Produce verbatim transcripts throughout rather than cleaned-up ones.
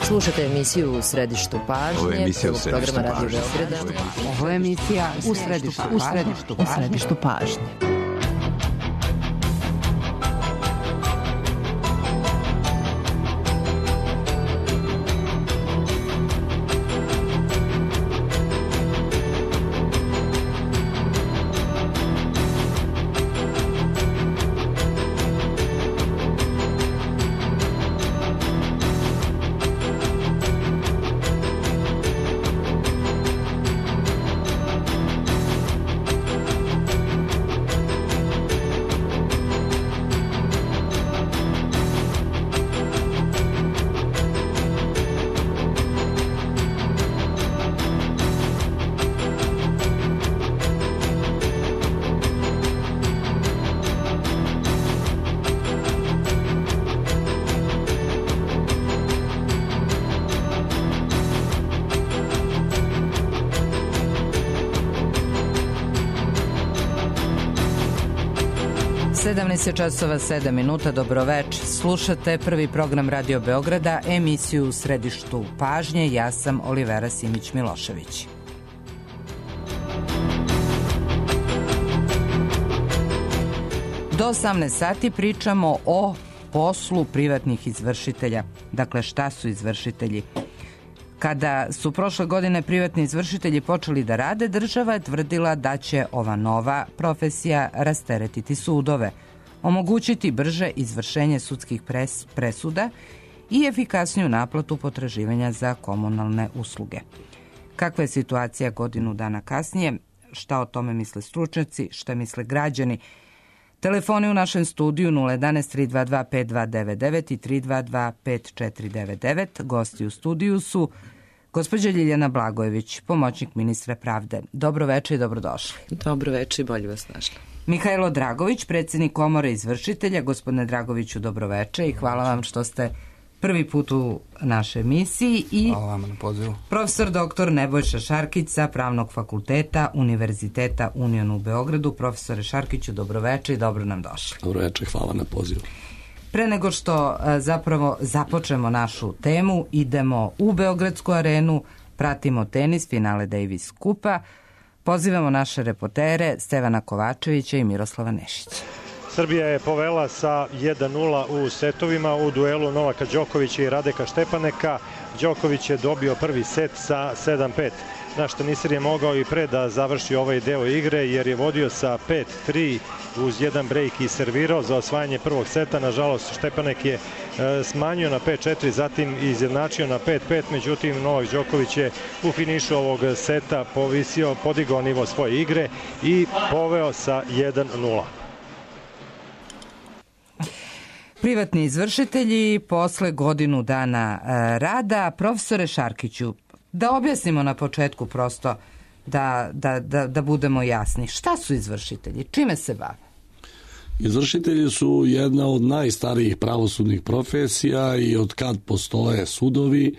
Slušate emisiju U središtu pažnje. Ovo je emisija U središtu pažnje. Ovo je emisija U središtu pažnje. U središtu pažnje. sedamnaest časova sedam minuta, dobroveč. Slušate prvi program Radio Beograda, emisiju U središtu pažnje. Ja sam Olivera Simić-Milošević. Do osamnaest sati pričamo o poslu privatnih izvršitelja. Dakle, šta su izvršitelji? Kada su prošle godine privatni izvršitelji počeli da rade, država je tvrdila da će ova nova profesija rasteretiti sudove, omogućiti brže izvršenje sudskih pres, presuda i efikasniju naplatu potraživanja za komunalne usluge. Kakva je situacija godinu dana kasnije? Šta o tome misle stručnjaci? Šta misle građani? Telefoni u našem studiju nula jedan tri dva dva pet dva devet devet i tri dva dva pet četiri devet devet. Gosti u studiju su gospođa Ljiljana Blagojević, pomoćnik ministra pravde. Dobro večer i dobrodošli. Dobro večer i bolje vas našla. Mihajlo Dragović, predsjednik Komore izvršitelja. Gospodine Dragoviću, dobro večer i hvala vam što ste prvi put u našoj emisiji. I hvala vam na pozivu. Profesor doktor Nebojša Šarkić sa Pravnog fakulteta Univerziteta Union u Beogradu. Profesore Šarkiću, dobro večer i dobro nam došli. Dobro večer, hvala na pozivu. Pre nego što zapravo započnemo našu temu, idemo u Beogradsku arenu, pratimo tenis, finale Davis Kupa. Pozivamo naše reportere Stevana Kovačevića i Miroslava Nešića. Srbija je povela sa jedan nula u setovima u duelu Novaka Đokovića i Radeka Štepaneka. Đoković je dobio prvi set sa sedam pet. Naš teniser je mogao i pre da završi ovaj deo igre jer je vodio sa pet tri uz jedan brejk i servirao za osvajanje prvog seta. Nažalost, Štepanek je e, smanjio na pet četiri, zatim izjednačio na pet pet, međutim Novak Đoković je u finišu ovog seta povisio, podigao nivo svoje igre i poveo sa jedan nula. Privatni izvršitelji posle godinu dana rada. Profesore Šarkiću, da objasnimo na početku prosto da, da, da, da budemo jasni. Šta su izvršitelji? Čime se bave? Izvršitelji su jedna od najstarijih pravosudnih profesija i od kad postoje sudovi,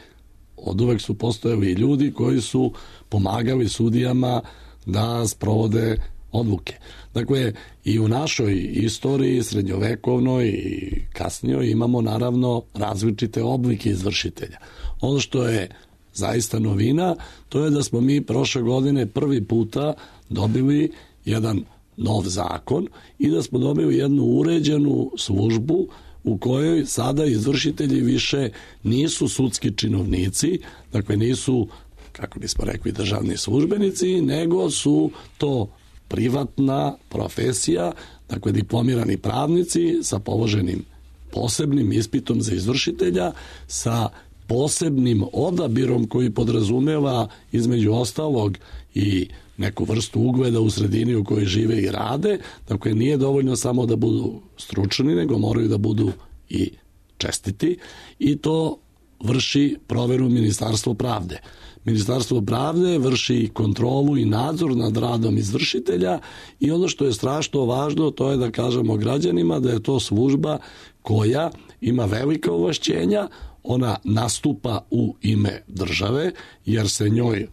od uvek su postojali ljudi koji su pomagali sudijama da sprovode odluke. Dakle, i u našoj istoriji, srednjovekovnoj i kasnijoj, imamo naravno različite oblike izvršitelja. Ono što je zaista novina, to je da smo mi prošle godine prvi puta dobili jedan nov zakon i da smo dobili jednu uređenu službu u kojoj sada izvršitelji više nisu sudski činovnici, dakle nisu, kako bismo rekli, državni službenici, nego su to privatna profesija, dakle diplomirani pravnici sa položenim posebnim ispitom za izvršitelja, sa posebnim odabirom koji podrazumeva između ostalog i neku vrstu ugleda u sredini u kojoj žive i rade. Dakle, nije dovoljno samo da budu stručni, nego moraju da budu i čestiti i to vrši proveru Ministarstvo pravde. Ministarstvo pravde vrši kontrolu i nadzor nad radom izvršitelja i ono što je strašno važno, to je da kažemo građanima da je to služba koja ima velika ovlašćenja, ona nastupa u ime države, jer se njoj,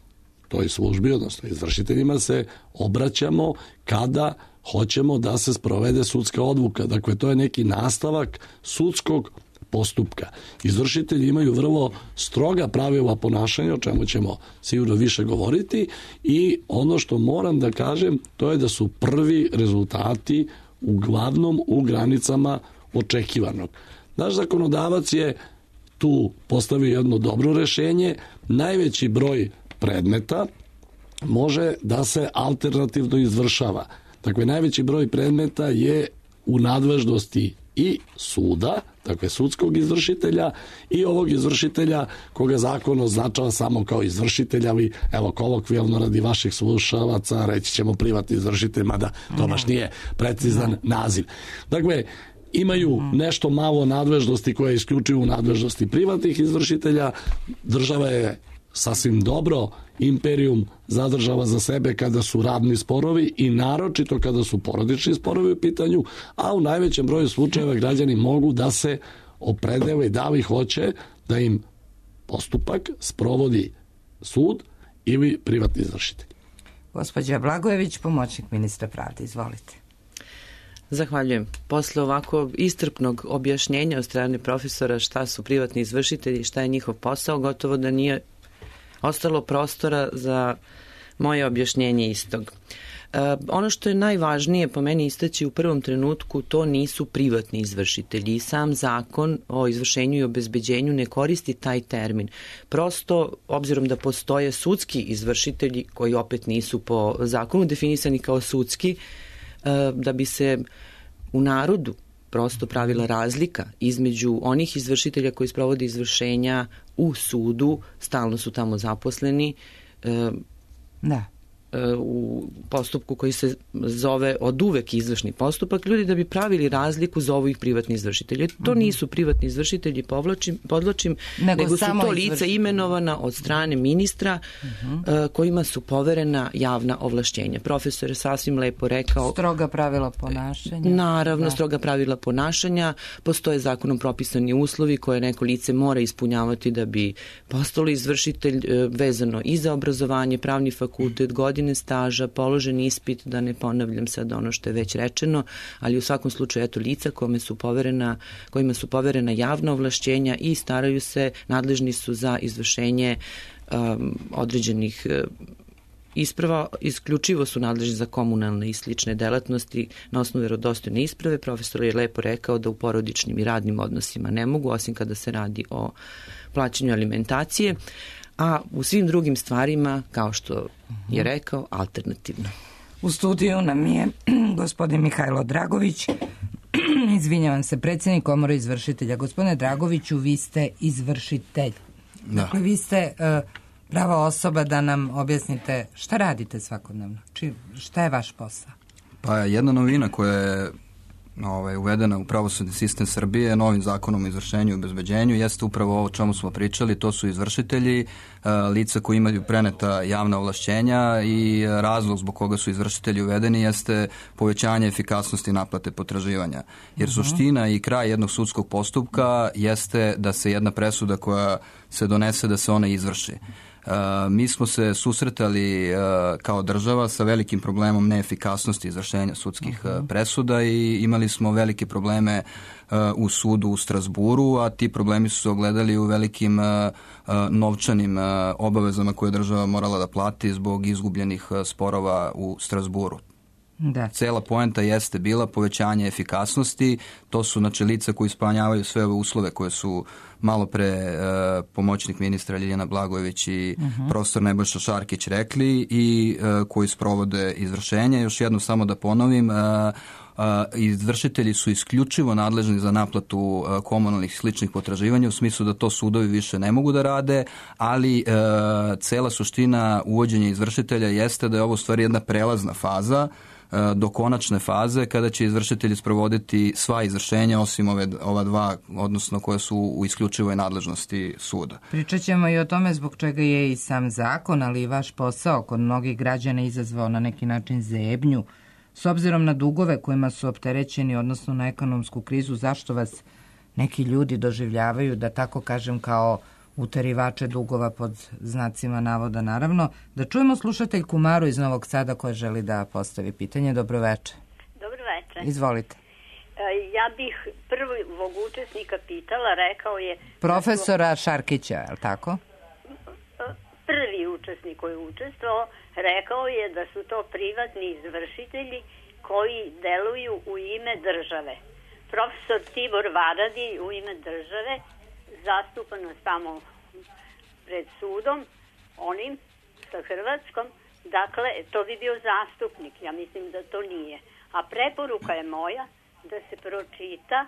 toj službi, odnosno izvršiteljima, se obraćamo kada hoćemo da se sprovede sudska odluka. Dakle, to je neki nastavak sudskog postupka. Izvršitelji imaju vrlo stroga pravila ponašanja, o čemu ćemo sigurno više govoriti, i ono što moram da kažem, to je da su prvi rezultati uglavnom u granicama očekivanog. Naš zakonodavac je tu postavio jedno dobro rešenje. Najveći broj predmeta može da se alternativno izvršava. Dakle, najveći broj predmeta je u nadležnosti i suda, dakle sudskog izvršitelja, i ovog izvršitelja koga zakon označava samo kao izvršitelja, ali evo kolokvijalno radi vaših slušavaca reći ćemo privatni izvršitelj, mada to baš nije precizan naziv. Dakle, imaju nešto malo nadležnosti koje je isključivo u nadležnosti privatnih izvršitelja. Država je sasvim dobro imperijum zadržava za sebe kada su radni sporovi i naročito kada su porodični sporovi u pitanju, a u najvećem broju slučajeva građani mogu da se opredele da li hoće da im postupak sprovodi sud ili privatni izvršitelj. Gospođa Blagojević, pomoćnik ministra pravde, izvolite. Zahvaljujem. Posle ovako istrpnog objašnjenja od strane profesora šta su privatni izvršitelji i šta je njihov posao, gotovo da nije ostalo prostora za moje objašnjenje istog. E, ono što je najvažnije po meni istaći u prvom trenutku, to nisu privatni izvršitelji. Sam zakon o izvršenju i obezbeđenju ne koristi taj termin. Prosto, obzirom da postoje sudski izvršitelji koji opet nisu po zakonu definisani kao sudski, da bi se u narodu prosto pravila razlika između onih izvršitelja koji sprovode izvršenja u sudu, stalno su tamo zaposleni, da. u postupku koji se zove od uvek izvršni postupak, ljudi da bi pravili razliku zovu ih privatni izvršitelji. To uh-huh. nisu privatni izvršitelji, povlačim, podlačim, nego, nego su to lica izvrš... imenovana od strane ministra uh-huh. kojima su poverena javna ovlašćenja. Profesor je sasvim lepo rekao... Stroga pravila ponašanja. Naravno, da. stroga pravila ponašanja. Postoje zakonom propisani uslovi koje neko lice mora ispunjavati da bi postalo izvršitelj, vezano i za obrazovanje, pravni fakultet, godine staža, položen ispit, da ne ponavljam sad ono što je već rečeno, ali u svakom slučaju eto lica kome su poverena, kojima su poverena javna ovlašćenja i staraju se, nadležni su za izvršenje um, određenih uh, isprava, isključivo su nadležni za komunalne i slične delatnosti na osnovu vjerodostojne isprave. Profesor je lepo rekao da u porodičnim i radnim odnosima ne mogu, osim kada se radi o plaćanju alimentacije, a u svim drugim stvarima, kao što je rekao, alternativno. U studiju nam je gospodin Mihajlo Dragović, izvinjavam se, predsjednik Komore izvršitelja. Gospodine Dragoviću, vi ste izvršitelj. Da. Dakle, vi ste uh, prava osoba da nam objasnite šta radite svakodnevno. Či, šta je vaš posao? Pa jedna novina koja je Ovaj, uvedena u pravosudni sistem Srbije novim zakonom o izvršenju i obezbeđenju jeste upravo ovo o čemu smo pričali, to su izvršitelji, lica koji imaju preneta javna ovlašćenja, i razlog zbog koga su izvršitelji uvedeni jeste povećanje efikasnosti naplate potraživanja. Jer suština i kraj jednog sudskog postupka jeste da se jedna presuda koja se donese, da se ona izvrši. Uh, mi smo se susretali uh, kao država sa velikim problemom neefikasnosti izvršenja sudskih uh, presuda i imali smo velike probleme uh, u sudu u Strazburu, a ti problemi su se ogledali u velikim uh, uh, novčanim uh, obavezama koje je država morala da plati zbog izgubljenih uh, sporova u Strazburu. Da. Cela poenta jeste bila povećanje efikasnosti, to su znači lica koji ispunjavaju sve ove uslove koje su malo pre e, pomoćnik ministra Ljiljana Blagojević i uh-huh. profesor Nebojša Šarkić rekli i e, koji sprovode izvršenje. Još jedno samo da ponovim, e, e, izvršitelji su isključivo nadležni za naplatu e, komunalnih sličnih potraživanja, u smislu da to sudovi više ne mogu da rade, ali e, cela suština uvođenja izvršitelja jeste da je ovo u stvari jedna prelazna faza do konačne faze kada će izvršitelji sprovoditi sva izvršenja osim ove, ova dva, odnosno koje su u isključivoj nadležnosti suda. Pričat ćemo i o tome zbog čega je i sam zakon, ali i vaš posao kod mnogih građana izazvao na neki način zebnju. S obzirom na dugove kojima su opterećeni, odnosno na ekonomsku krizu, zašto vas neki ljudi doživljavaju, da tako kažem, kao uterivače dugova pod znacima navoda, naravno. Da čujemo slušateljku Maru iz Novog Sada koja želi da postavi pitanje. Dobro večer. Dobro večer. Izvolite. Ja bih prvog učesnika pitala, rekao je... Profesora Šarkića, je li tako? Prvi učesnik koji je učestvovao, rekao je da su to privatni izvršitelji koji deluju u ime države. Profesor Tibor Varadi u ime države zastupa nas tamo pred sudom, onim sa Hrvatskom, dakle, to bi bio zastupnik, ja mislim da to nije. A preporuka je moja da se pročita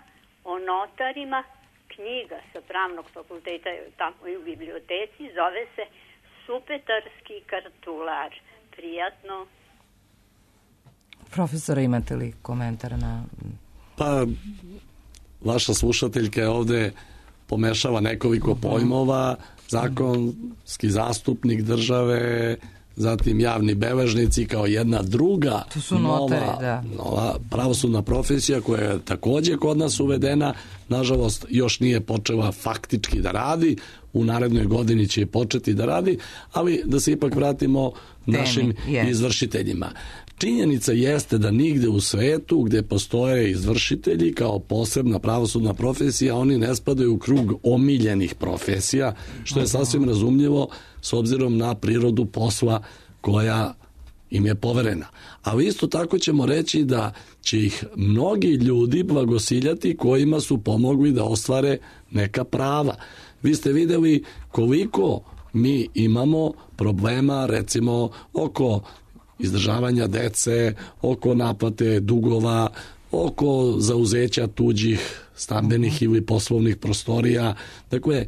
o notarima knjiga sa Pravnog fakulteta tamo i u biblioteci, zove se Supetarski kartular. Prijatno. Profesora, imate li komentar na... Pa, vaša slušateljka je ovde pomešava nekoliko pojmova, zakonski zastupnik države, zatim javni beležnici kao jedna druga notari, nova, da. nova pravosudna profesija koja je takođe kod nas uvedena, nažalost još nije počela faktički da radi, u narednoj godini će početi da radi, ali da se ipak vratimo Temi, našim yes. izvršiteljima. Činjenica jeste da nigde u svetu gde postoje izvršitelji kao posebna pravosudna profesija, oni ne spadaju u krug omiljenih profesija, što je sasvim razumljivo s obzirom na prirodu posla koja im je poverena. Ali isto tako ćemo reći da će ih mnogi ljudi blagosiljati kojima su pomogli da ostvare neka prava. Vi ste videli koliko mi imamo problema, recimo, oko izdržavanja dece, oko naplate dugova, oko zauzeća tuđih stambenih ili poslovnih prostorija. Dakle,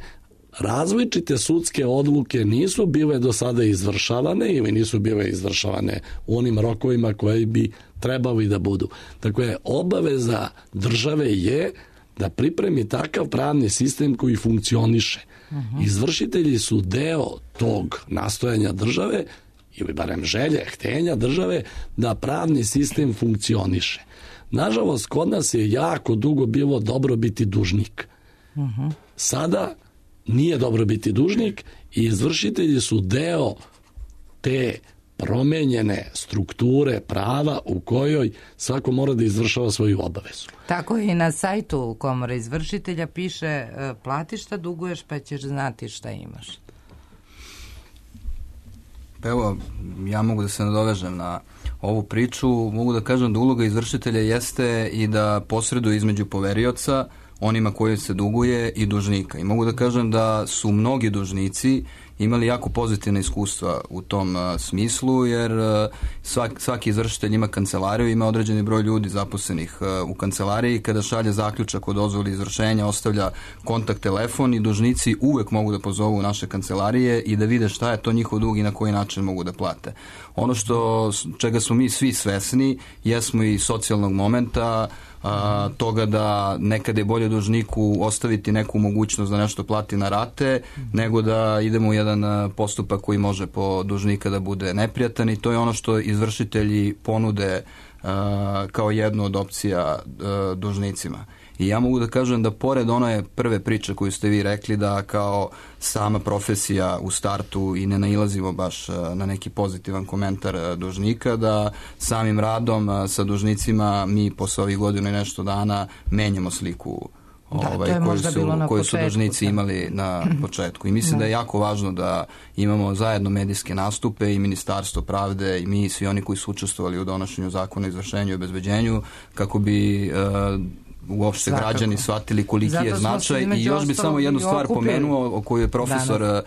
različite sudske odluke nisu bile do sada izvršavane ili nisu bile izvršavane u onim rokovima koji bi trebali da budu. Dakle, obaveza države je da pripremi takav pravni sistem koji funkcioniše. Izvršitelji su deo tog nastojanja države ili barem želje, htenja države da pravni sistem funkcioniše. Nažalost, kod nas je jako dugo bilo dobro biti dužnik. Sada nije dobro biti dužnik i izvršitelji su deo te promenjene strukture prava u kojoj svako mora da izvršava svoju obavezu. Tako i na sajtu Komore izvršitelja piše plati šta duguješ pa ćeš znati šta imaš. Pa evo, ja mogu da se nadovežem na ovu priču. Mogu da kažem da uloga izvršitelja jeste i da posreduje između poverioca, onima koji se duguje, i dužnika. I mogu da kažem da su mnogi dužnici imali jako pozitivne iskustva u tom uh, smislu, jer uh, svak, svaki izvršitelj ima kancelariju, ima određeni broj ljudi zaposlenih uh, u kancelariji. Kada šalje zaključak o dozvoli izvršenja, ostavlja kontakt telefon i dužnici uvek mogu da pozovu naše kancelarije i da vide šta je to njihov dug i na koji način mogu da plate. Ono što, čega smo mi svi svesni, jesmo i socijalnog momenta, a, toga da nekada je bolje dužniku ostaviti neku mogućnost da nešto plati na rate, nego da idemo u jedan postupak koji može po dužnika da bude neprijatan, i to je ono što izvršitelji ponude a, kao jednu od opcija a, dužnicima. I ja mogu da kažem da pored one prve priče koju ste vi rekli, da kao sama profesija u startu i ne nailazimo baš na neki pozitivan komentar dužnika, da samim radom sa dužnicima mi posle ovih godina i nešto dana menjamo sliku da, ovaj, koju su, koju su dužnici da. imali na početku. I mislim da. da je jako važno da imamo zajedno medijske nastupe i Ministarstvo pravde i mi i svi oni koji su učestvovali u donošenju zakona o izvršenju i obezbeđenju, kako bi uh, uopšte Svakako. građani shvatili koliki Zato je značaj. I još bi samo jednu stvar pomenuo o kojoj je profesor Danas.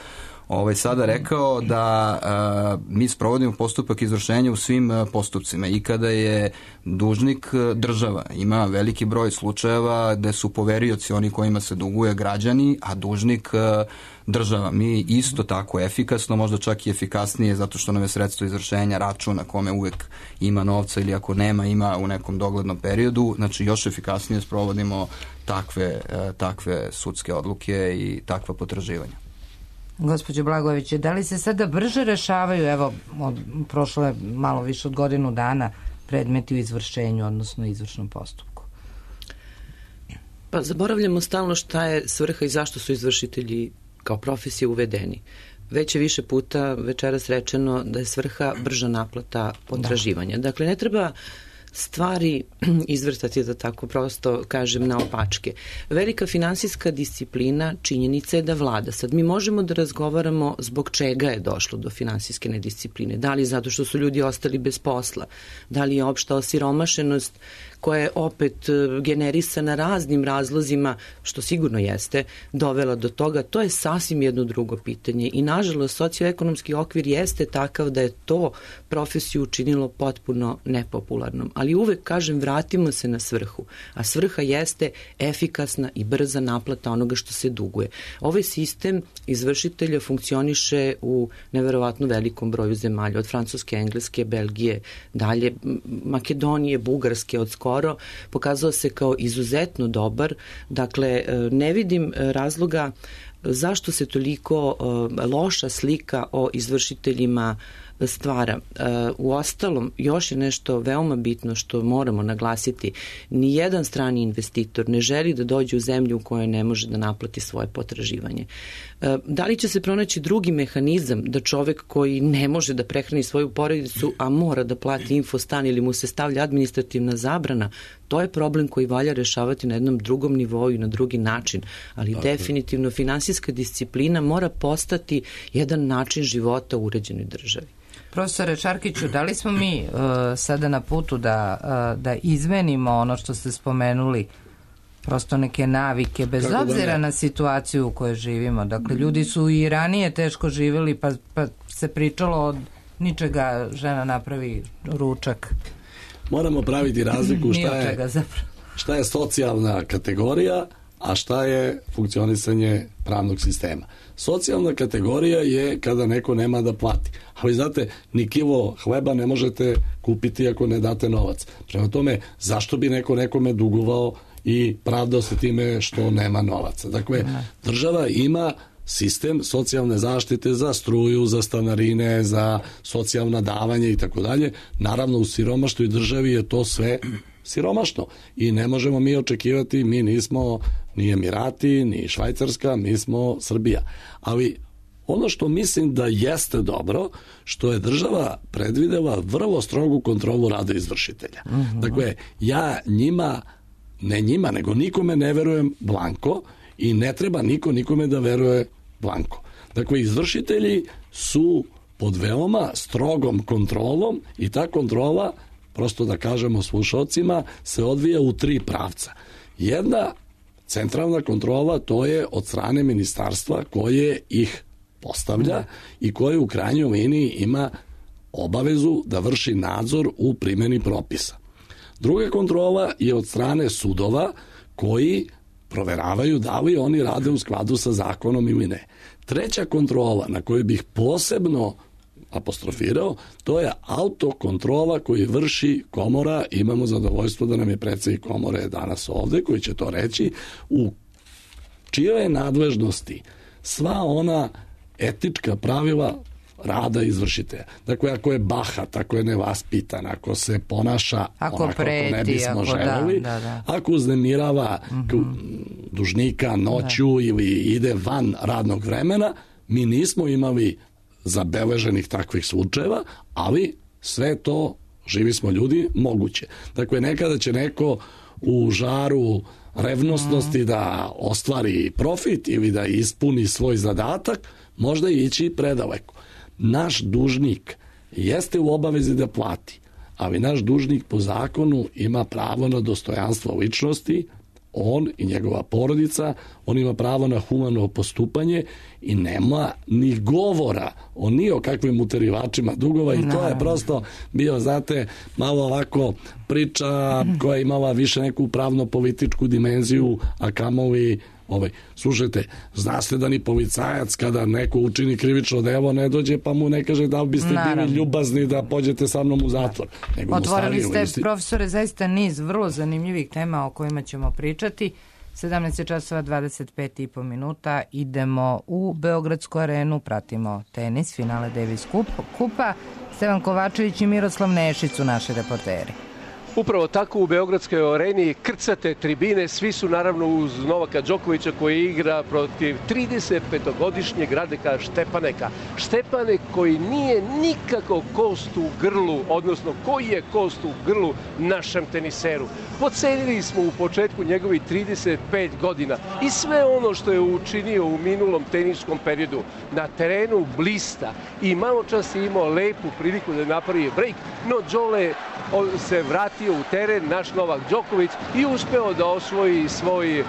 ovaj sada rekao, da a, mi sprovodimo postupak izvršenja u svim a, postupcima, i kada je dužnik država. Ima veliki broj slučajeva gde su poverioci oni kojima se duguje građani, a dužnik a, država. Mi isto tako efikasno, možda čak i efikasnije, zato što nam je sredstvo izvršenja račun na kome uvek ima novca, ili ako nema, ima u nekom doglednom periodu. Znači još efikasnije sprovodimo takve, a, takve sudske odluke i takva potraživanja. Gospođo Blagojević, da li se sada brže rešavaju, evo, od, prošlo je malo više od godinu dana, predmeti u izvršenju, odnosno izvršnom postupku? Pa zaboravljamo stalno šta je svrha i zašto su izvršitelji kao profesije uvedeni. Već je više puta večeras rečeno da je svrha brža naplata potraživanja. Da. Dakle, ne treba stvari izvrtati, da tako prosto kažem, na opačke. Velika finansijska disciplina, činjenica je da vlada. Sad mi možemo da razgovaramo zbog čega je došlo do finansijske nediscipline. Da li zato što su ljudi ostali bez posla, da li je opšta osiromašenost koja je opet generisana raznim razlozima, što sigurno jeste, dovela do toga. To je sasvim jedno drugo pitanje i nažalost socioekonomski okvir jeste takav da je to profesiju učinilo potpuno nepopularnom. Ali uvek kažem, vratimo se na svrhu, a svrha jeste efikasna i brza naplata onoga što se duguje. Ovaj sistem izvršitelja funkcioniše u neverovatno velikom broju zemalja, od Francuske, Engleske, Belgije, dalje Makedonije, Bugarske, od skoro pokazao se kao izuzetno dobar. Dakle, ne vidim razloga zašto se toliko loša slika o izvršiteljima stvara. U ostalom, još je nešto veoma bitno što moramo naglasiti. Nijedan strani investitor ne želi da dođe u zemlju u kojoj ne može da naplati svoje potraživanje. Da li će se pronaći drugi mehanizam da čovek koji ne može da prehrani svoju porodicu, a mora da plati infostan ili mu se stavlja administrativna zabrana, to je problem koji valja rešavati na jednom drugom nivou i na drugi način. Ali okay. definitivno finansijska disciplina mora postati jedan način života u uređenoj državi. Profesore Čarkiću, da li smo mi uh, sada na putu da, uh, da izmenimo ono što ste spomenuli, prosto neke navike, bez Kako obzira na situaciju u kojoj živimo? Dakle, ljudi su i ranije teško živjeli, pa, pa se pričalo od ničega žena napravi ručak. Moramo praviti razliku šta je, šta je socijalna kategorija, a šta je funkcionisanje pravnog sistema. Socijalna kategorija je kada neko nema da plati. Ali znate, ni kilo hleba ne možete kupiti ako ne date novac. Prema tome, zašto bi neko nekome dugovao i pravdao se time što nema novaca? Dakle, država ima sistem socijalne zaštite za struju, za stanarine, za socijalna davanja i tako dalje. Naravno, u siromašnoj državi je to sve siromašno i ne možemo mi očekivati, mi nismo ni Emirati, ni Švajcarska, mi smo Srbija. Ali ono što mislim da jeste dobro, što je država predvidela vrlo strogu kontrolu rada izvršitelja. Uh-huh. Dakle, ja njima, ne njima, nego nikome ne verujem blanko i ne treba niko nikome da veruje blanko. Dakle, izvršitelji su pod veoma strogom kontrolom i ta kontrola, prosto da kažemo slušalcima, se odvija u tri pravca. Jedna centralna kontrola, to je od strane ministarstva koje ih postavlja i koje u krajnjoj liniji ima obavezu da vrši nadzor u primjeni propisa. Druga kontrola je od strane sudova koji proveravaju da li oni rade u skladu sa zakonom ili ne. Treća kontrola na koju bih posebno apostrofirao, to je autokontrola koju vrši komora. Imamo zadovoljstvo da nam je predsjednik komore danas ovde, koji će to reći, u čijoj je nadležnosti sva ona etička pravila rada izvršitelja. Dakle, ako je bahat, ako je nevaspitan, ako se ponaša ako onako preti, kako ne bismo ako želeli, da, da, da. ako uznemirava uh-huh. dužnika noću da. ili ide van radnog vremena, mi nismo imali zabeleženih takvih slučajeva, ali sve to, živi smo ljudi, moguće. Dakle, nekada će neko u žaru revnosnosti mm. da ostvari profit ili da ispuni svoj zadatak, možda ići predaleko. Naš dužnik jeste u obavezi da plati, ali naš dužnik po zakonu ima pravo na dostojanstvo ličnosti, on i njegova porodica, on ima pravo na humano postupanje i nema ni govora o ni o kakvim uterivačima dugova i to je prosto bio, znate, malo ovako priča koja je imala više neku pravno-političku dimenziju, a kamoli ovaj, slušajte, zna se da ni policajac kada neko učini krivično delo ne dođe pa mu ne kaže da li biste Naravno. bili ljubazni da pođete sa mnom u zatvor. Nego Otvorili ste, isti... profesore, zaista niz vrlo zanimljivih tema o kojima ćemo pričati. sedamnaest časova dvadeset pet i po minuta, idemo u Beogradsku arenu, pratimo tenis, finale Davis kupa. Stevan Kovačević i Miroslav Nešić su naši reporteri. Upravo tako u Beogradskoj areni krcate tribine, svi su naravno uz Novaka Đokovića koji igra protiv trideset petogodišnjeg Radeka Štepaneka. Štepanek koji nije nikako kost u grlu, odnosno koji je kost u grlu našem teniseru. Pocenili smo u početku njegovih trideset pet godina i sve ono što je učinio u minulom teniskom periodu. Na terenu blista i malo čas je imao lepu priliku da napravi break, no Đole se vratio u teren, naš Novak Đoković, i uspeo da osvoji svoj uh,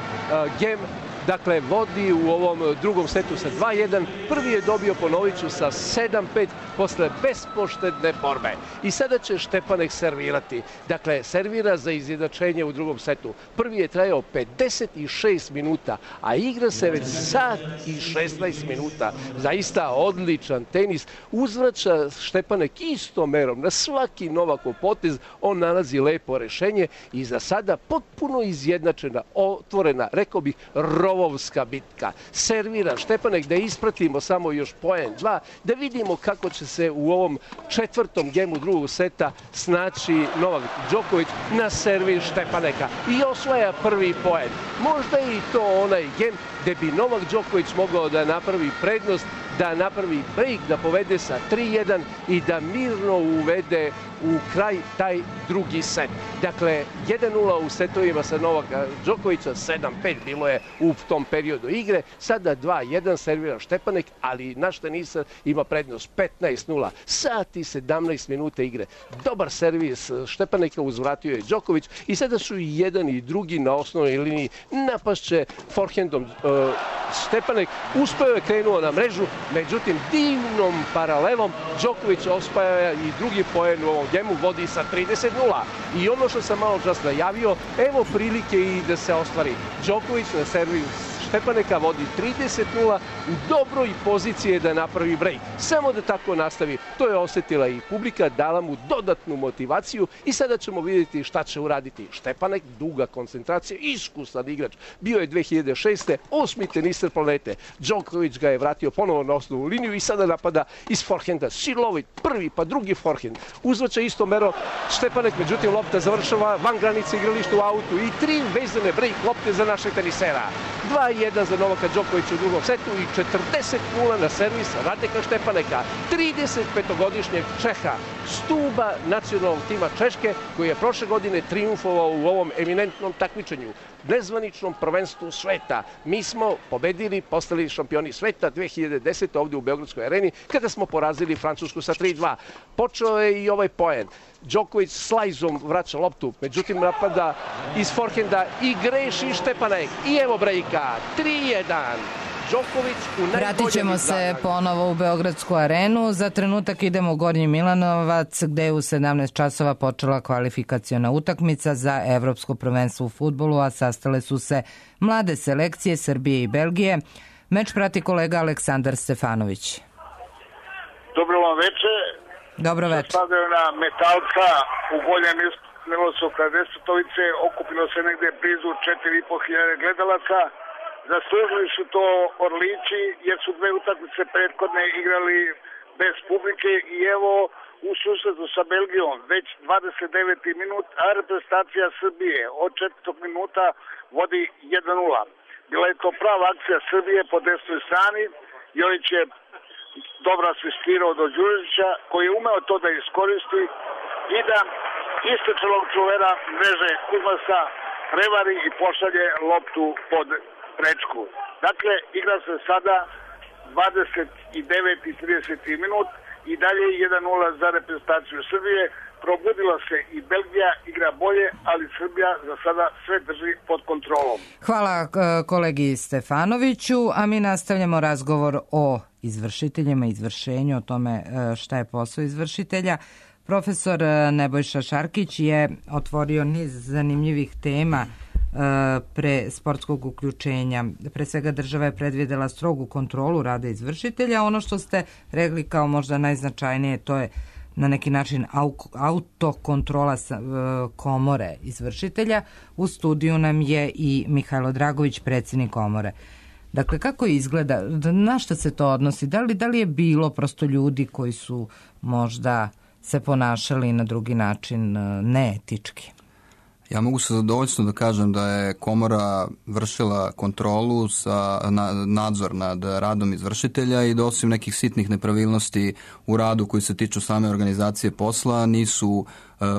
gem. Dakle, vodi u ovom drugom setu sa dva jedan. Prvi je dobio, ponovit ću, sa sedam pet posle bespoštedne borbe. I sada će Štepanek servirati. Dakle, servira za izjednačenje u drugom setu. Prvi je trajao pedeset šest minuta, a igra se već sat i šesnaest minuta. Zaista odličan tenis. Uzvraća Štepanek istom merom. Na svaki Novakov potez on nalazi lepo rešenje i za sada potpuno izjednačena, otvorena, rekao bih, rovovska bitka. Servira Štepanek, da ispratimo samo još poen dva, da vidimo kako će se u ovom četvrtom gemu drugog seta snaći Novak Đoković na servis Štepaneka i osvaja prvi poen. Možda je i to onaj gem gde bi Novak Đoković mogao da napravi prednost, da napravi break, da povede sa tri jedan i da mirno uvede u kraj taj drugi set. Dakle, jedan nula u setovima sa Novaka Đokovića, sedam pet bilo je u tom periodu igre. Sada dva jedan servira Štepanek, ali naš tenisar ima prednost petnaest nula. Sat i sedamnaest minuta igre. Dobar servis Štepaneka, uzvratio je Đoković i sada su i jedan i drugi na osnovnoj liniji. Napašće forehandom uh, Štepanek. Uspeo je, krenuo na mrežu, međutim divnom paralelom Đoković osvaja i drugi poen u ovom gemu, vodi sa trideset nula. I ono što sam malo čas najavio, evo prilike i da se ostvari. Đoković na servis Štepaneka vodi trideset nula, u dobroj poziciji da napravi break. Samo da tako nastavi. To je osetila i publika, dala mu dodatnu motivaciju i sada ćemo vidjeti šta će uraditi. Štepanek, duga koncentracija, iskusan igrač. Bio je dve hiljade šeste. osmi teniser planete. Đoković ga je vratio ponovo na osnovnu liniju i sada napada iz forehanda. Silovit, prvi pa drugi forehand. Uzvaća isto mero Štepanek, međutim lopta završava van granice igrališta u autu i tri vezane break lopte za našeg tenisera. dva jedan za Novaka Đokovića u drugom setu i četrdeset nula na servis Radeka Štepaneka, trideset petogodišnjeg Čeha, stuba nacionalnog tima Češke, koji je prošle godine triumfovao u ovom eminentnom takmičenju, nezvaničnom prvenstvu sveta. Mi smo pobedili, postali šampioni sveta dve hiljade desete. ovdje u Beogradskoj areni, kada smo porazili Francusku sa tri dva. Počeo je i ovaj poen. Đoković slajzom vraća loptu, međutim napada iz forehanda i greši Štepanek. I evo brejka, tri jedan. Đoković u najboljem izdanju. Vratit ćemo se ponovo u Beogradsku arenu. Za trenutak idemo u Gornji Milanovac, gde je u sedamnaest časova počela kvalifikaciona utakmica za Evropsko prvenstvo u fudbalu, a sastale su se mlade selekcije Srbije i Belgije. Meč prati kolega Aleksandar Stefanović. Dobro vam veče. Dobro veče. Stadiona Metalca u Gornjem Milanovacu kraj Despotovice okupilo se negde blizu četiri i po hiljade gledalaca. Zaslužili su to Orlići jer su dve utakmice prethodne igrali bez publike i evo u susretu sa Belgijom već dvadeset deveti minut, a reprezentacija Srbije od četvrtog minuta vodi jedan nula. Bila je to prava akcija Srbije po desnoj strani. Jović je dobro asistirao do Đurića koji je umeo to da iskoristi i da istočelog čuvera mreže Kuzmasa prevari i pošalje loptu pod prečku. Dakle, igra se sada dvadeset deveti i trideseti minut i dalje jedan nula za reprezentaciju Srbije. Probudila se i Belgija, igra bolje, ali Srbija za sada sve drži pod kontrolom. Hvala kolegi Stefanoviću, a mi nastavljamo razgovor o izvršiteljima, izvršenju, o tome šta je posao izvršitelja. Profesor Nebojša Šarkić je otvorio niz zanimljivih tema pre sportskog uključenja. Pre svega država je predvidela strogu kontrolu rada izvršitelja. Ono što ste rekli kao možda najznačajnije, to je na neki način autokontrola komore izvršitelja. U studiju nam je i Mihajlo Dragović, predsjednik komore. Dakle, kako izgleda, na šta se to odnosi? Da li, da li je bilo prosto ljudi koji su možda se ponašali na drugi način neetički? Ja mogu sa zadovoljstvom da kažem da je komora vršila kontrolu, sa, na, nadzor nad radom izvršitelja i da osim nekih sitnih nepravilnosti u radu koji se tiču same organizacije posla nisu uh,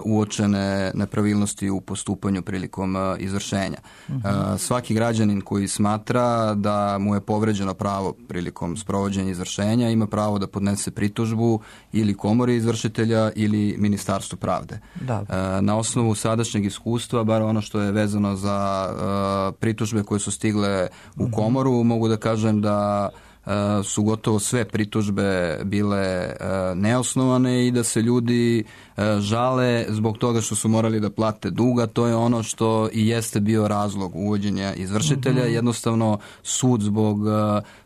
uočene nepravilnosti u postupanju prilikom uh, izvršenja. Uh, svaki građanin koji smatra da mu je povređeno pravo prilikom sprovođenja izvršenja ima pravo da podnese pritužbu ili komori izvršitelja ili Ministarstvu pravde. Uh, na osnovu sadašnjeg iskustva, bar ono što je vezano za uh, pritužbe koje su stigle u komoru, mogu da kažem da uh, su gotovo sve pritužbe bile uh, neosnovane i da se ljudi uh, žale zbog toga što su morali da plate duga. To je ono što i jeste bio razlog uvođenja izvršitelja. Mm-hmm. Jednostavno sud zbog uh,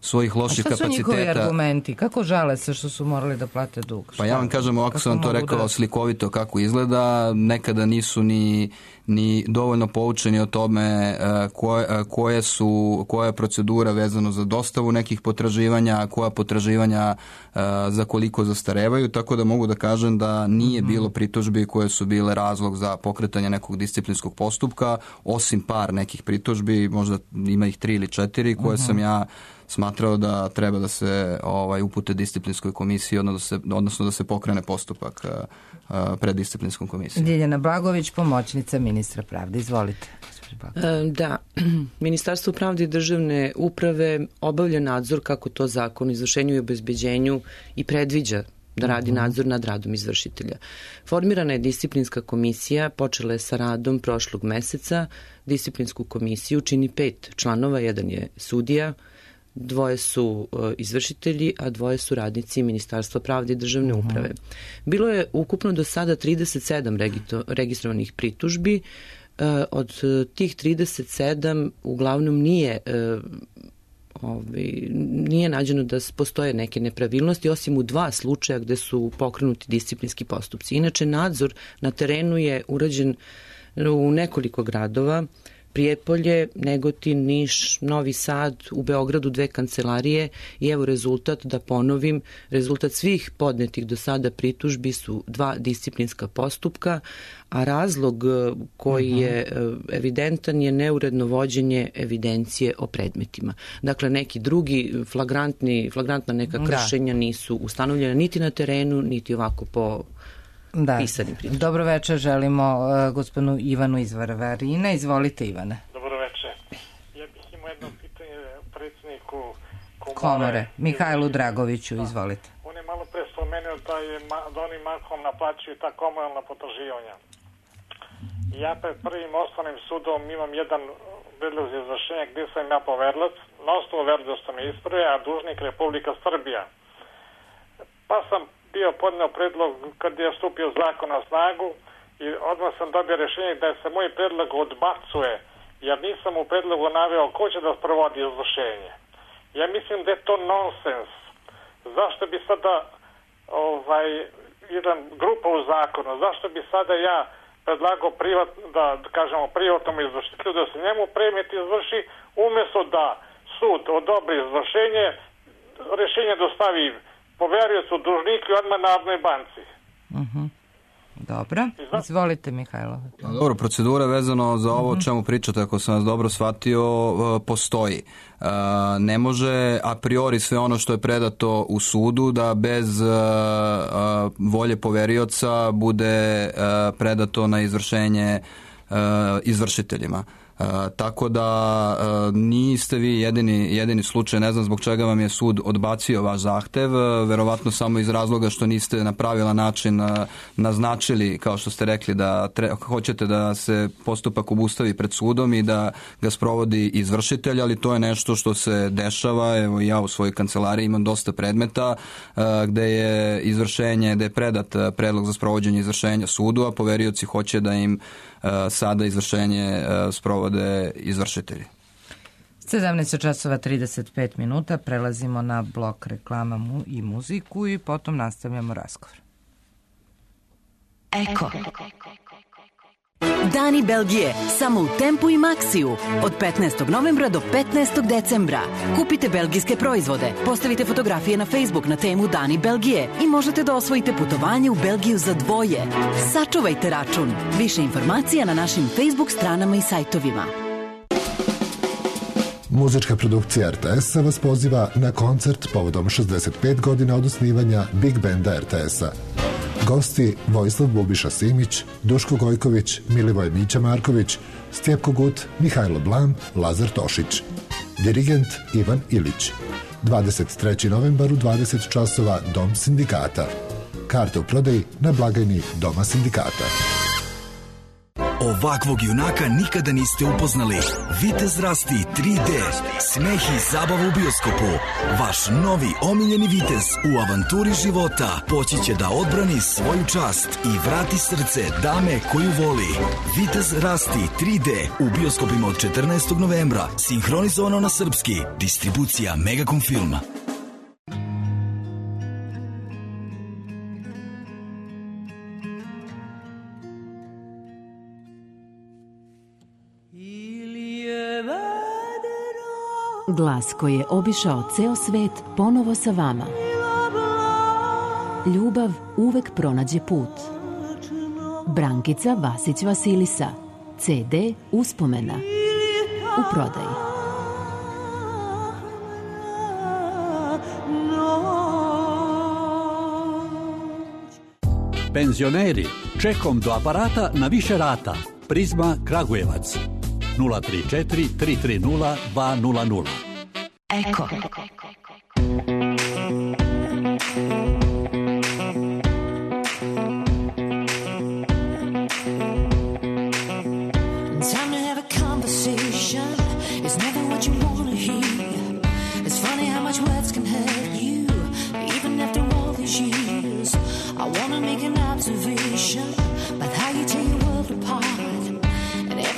svojih loših kapaciteta... A šta su kapaciteta... njihovi argumenti? Kako žale se što su morali da plate dug? Šta? Pa ja vam kažem, ovako sam vam to rekao da... slikovito kako izgleda. Nekada nisu ni ni dovoljno poučeni o tome uh, koje, uh, koje su, koja je procedura vezano za dostavu nekih potraživanja, koja potraživanja uh, za koliko zastarevaju, tako da mogu da kažem da nije mm-hmm. bilo pritužbi koje su bile razlog za pokretanje nekog disciplinskog postupka, osim par nekih pritužbi, možda ima ih tri ili četiri, koje mm-hmm. sam ja smatrao da treba da se ovaj, upute disciplinskoj komisiji, odnosno da se, odnosno da se pokrene postupak uh, pred disciplinskom komisijom. Ljiljana Blagović, pomoćnica ministra pravde. Izvolite. Da, Ministarstvo pravde i državne uprave obavlja nadzor kako to zakon o izvršenju i obezbeđenju i predviđa da radi nadzor nad radom izvršitelja. Formirana je disciplinska komisija, počela je sa radom prošlog meseca. Disciplinsku komisiju čini pet članova, jedan je sudija, dvoje su uh, izvršitelji, a dvoje su radnici Ministarstva pravde i državne uh-huh. uprave. Bilo je ukupno do sada trideset sedam regito, registrovanih pritužbi. Uh, od uh, tih trideset sedam uglavnom nije uh, ovaj, nije nađeno da postoje neke nepravilnosti, osim u dva slučaja gde su pokrenuti disciplinski postupci. Inače, nadzor na terenu je urađen u nekoliko gradova: Prijepolje, Negotin, Niš, Novi Sad, u Beogradu dve kancelarije i evo rezultat, da ponovim, rezultat svih podnetih do sada pritužbi su dva disciplinska postupka, a razlog koji je evidentan je neuredno vođenje evidencije o predmetima. Dakle, neki drugi flagrantni, flagrantna neka kršenja da. nisu ustanovljena niti na terenu, niti ovako po Da. Dobro večer, želimo uh, gospodinu Ivanu iz Varvarina. Izvolite, Ivane. Dobro večer. Ja bih imao jedno pitanje predsjedniku komore. Komore, Mihajlu Dragoviću, da. Izvolite. On je malo pre spomenuo da, je, da oni mahom naplaćuju ta komunalna potraživanja. Ja pred prvim osnovnim sudom imam jedan predlog za izvršenje gdje sam ja poverilac, na osnovu verdosti me isprave, a dužnik Republika Srbija. Pa sam bio podneo predlog kad je stupio zakon na snagu i odmah sam dobio rješenje da se moj predlog odbacuje, jer nisam u predlogu naveo ko će da sprovodi izvršenje. Ja mislim da je to nonsens. Zašto bi sada ovaj, jedan grupa u zakonu, zašto bi sada ja predlagao privat, da kažemo privatnom izvršitelju da se njemu predmet izvrši, umjesto da sud odobri izvršenje, rješenje dostavi poveriocu, dužniku i odmah Narodnoj banci. Uh-huh. Dobro. Izvolite, Mihajlo. Dobro, procedura vezano za ovo o čemu pričate, ako sam vas dobro shvatio, postoji. Ne može a priori sve ono što je predato u sudu da bez volje poverioca bude predato na izvršenje izvršiteljima. Uh, tako da uh, niste vi jedini, jedini slučaj, ne znam zbog čega vam je sud odbacio vaš zahtev, uh, verovatno samo iz razloga što niste na pravilan način uh, naznačili, kao što ste rekli, da tre, hoćete da se postupak obustavi pred sudom i da ga sprovodi izvršitelj, ali to je nešto što se dešava. Evo, ja u svojoj kancelariji imam dosta predmeta uh, gde je izvršenje, gde je predat uh, predlog za sprovođenje izvršenja sudu, a poverioci hoće da im uh, sada izvršenje uh, sprovodi izvršitelji. sedamnaest časova trideset pet minuta, prelazimo na blok reklama mu i muziku i potom nastavljamo razgovor. Eko. Dani Belgije, samo u Tempu i Maxiju. Od petnaestog novembra do petnaestog decembra. Kupite belgijske proizvode, postavite fotografije na Facebook na temu Dani Belgije i možete da osvojite putovanje u Belgiju za dvoje. Sačuvajte račun. Više informacija na našim Facebook stranama i sajtovima. Muzička produkcija R T S-a vas poziva na koncert povodom šezdeset pet godina od osnivanja Big Benda R T S-a. Gosti Vojislav Bubiša Simić, Duško Gojković, Milivoj Mića Marković, Stjepko Gut, Mihajlo Blam, Lazar Tošić. Dirigent Ivan Ilić. dvadeset trećeg novembar u dvadeset časova Dom sindikata. Karte u prodaji na blagajni Doma sindikata. Ovakvog junaka nikada niste upoznali. Vitez Rasti tri D. Smeh i zabava u bioskopu. Vaš novi omiljeni vitez u avanturi života poći će da odbrani svoju čast i vrati srce dame koju voli. Vitez Rasti tri D u bioskopima od četrnaestog novembra. Sinhronizovano na srpski. Distribucija Megacom Filma. Glas koji je obišao ceo svet ponovo sa vama. Ljubav uvek pronađe put. Brankica Vasić Vasilisa. C D Uspomena. U prodaji. Penzioneri, čekom do aparata na više rata. Prizma Kragujevac. nula tri četiri tri tri nula dva nula nula. Eko.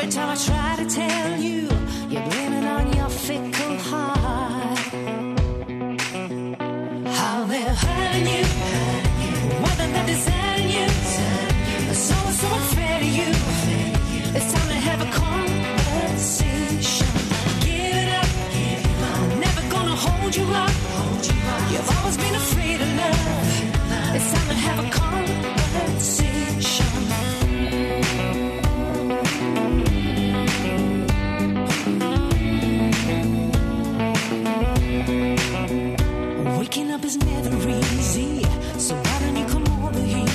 Time I try to tell you, you're blaming on your fickle heart. How they're hurting you, whether they're deserting you, so so unfair to you. It's time to have a conversation. Give it up, I'm never gonna hold you up. You've always been afraid of love. It's time to have a conversation. Waking up is never easy, so why don't you come over here?